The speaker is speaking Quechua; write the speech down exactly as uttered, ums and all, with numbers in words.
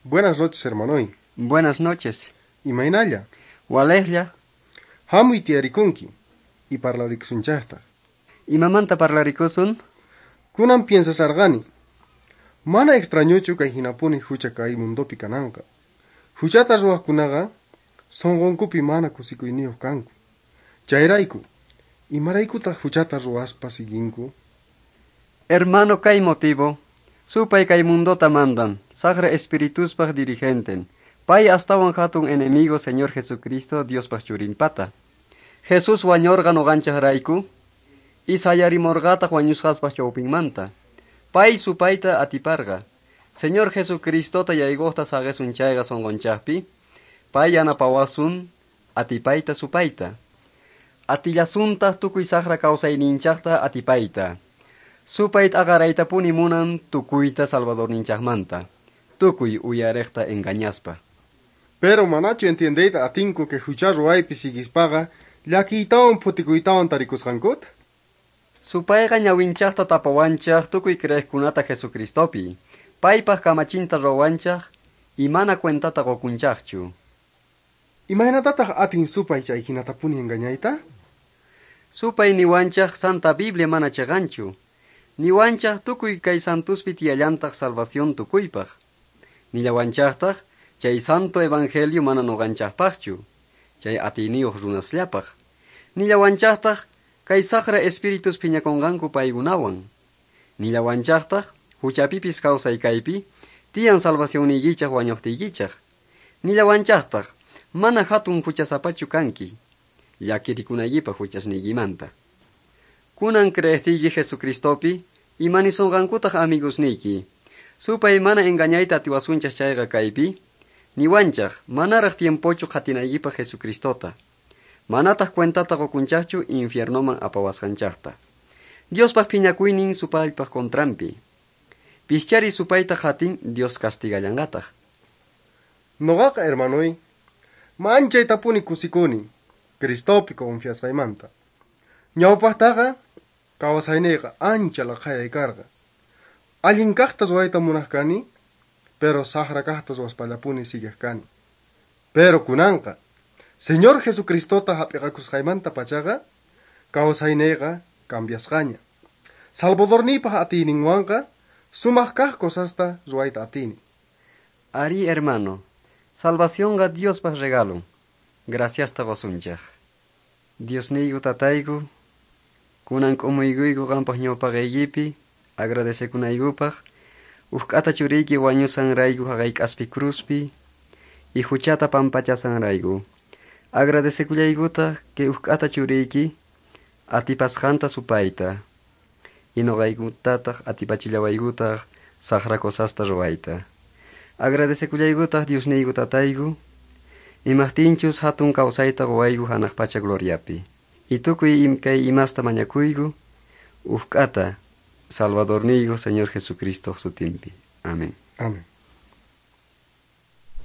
Buenas noches, hermanoy. Buenas noches. Imaynalla. Walejlla. Hamuy tiyarikunki y parlarikusunchaqtaq. Imamanta parlarikusun? Kunan piensasarqani. Mana extrañochu kay hinapuni hucha kay mundopi kananqa. Huchata ruwaqkunaqa sunqunkupi mana kusikuyniyuq kanku. Chayrayku, imaraykutaq huchata ruwaspa siguinku? Hermano, kay motivo. Supay kay mundota mandan, saqra espirituspaq dirigenten. Pay astawan hatun enemigo Señor Jesucristo Diospaq churinpata. Jesús wañorqa nuqanchaqrayku y sayarimorqataq wañusqaspaq chawpinmanta. Pay supayta atiparqa. Señor Jesucristota yaykuqta saqisun chayqa sunqunchaqpi, pay yanapawasun atipayta supayta. Atillasuntaq tukuy saqra kawsayninchaqta atipayta. Supay t'aqaraytapuni munan tukuyta Salvadorninchaqmanta. Tukuy uyariqta engañaspa. Pero manachu entiendeyta atinku que hucha ruwaypi siguispaqa llakiytawan phutikuytawan tarikusqankuta? Supayqa ñawinchaqta tapawanchaq tukuy creeqkunata Jesucristopi. Paypaq kamachinta ruwanchaq y mana cuentata qukunchaqchu. Imaynatataq atin supay chay hinatapuni engañayta? Supay niwanchaq Santa Biblia mana chiqanchu. Niwanchaq tukuy kay santuspi tiyallantaq salvación tukuypaq. Nillawanchaqtaq chay santo evangelio mana nuqanchaqpaqchu, chay atiyniyuq runasllapaq. Nillawanchaqtaq kay saqra espíritus phiñakunqanku paykunawan. Nillawanchaqtaq huchapipis kawsay kaypi tiyan salvacionniykichaq wañuqtiykichaq. Nillawanchaqtaq mana hatun huchasapachu kanki, llakirikunaykipaq huchasniykimanta. Kunan creeqtiyki Jesucristopi, imanisunqankutaq amigosniyki. Supay mana engañayta atiwasunchaq chayqa kaypi, niwanchaq manaraq tiempochu qhatinaykipaq Jesucristota. Manataq cuentata qukunchaqchu infiernoman apawasqanchaqta. Diospaq phiñakuynin supaypaq contranpi. Pischari supayta qatin Dios castigallanqataq. Nuqaqa, hermanoy, manchaytapuni kusikuni Cristopi confiasqaymanta. Ñawpaqtaqa kawsayniyqa ancha laqhayay karqa. Allin kaqta ruwayta munaq kani, pero saqra kaqta ruwaspallapuni siguiq kani. Pero kunanqa, Señor Jesucristota hap'iqakusqaymanta pachaqa, kawsayniyqa cambiasqaña. Salvadorniypaq atiyninwanqa sumaq kaq cosasta ruwayta atini. Ari, hermano, salvacionqa Diospaq regalon. Graciasta qusunchaq. Diosniyku tatayku, kunan k'umuykuyku qampaq ñawpaqaykipi, agradecekunaykupaq, uj k'ata churiyki wañusanrayku haqay k'aspi cruzpi, y huchata pampachasanrayku. Agradecekullaykutaq que uj k'ata churiyki atipasqanta supayta, y nuqaykutataq atipachillawaykutaq saqra cosasta ruwayta. Agradecekullaykutaq Diosniyku tatayku, imaqtinchus hatun kawsayta quwayku hanaq pacha gloriapi. Y tukuy kay imasta mañakuyku, uj k'ata Salvadorniyku Señor Jesucristo sutinpi. Amén. Amén.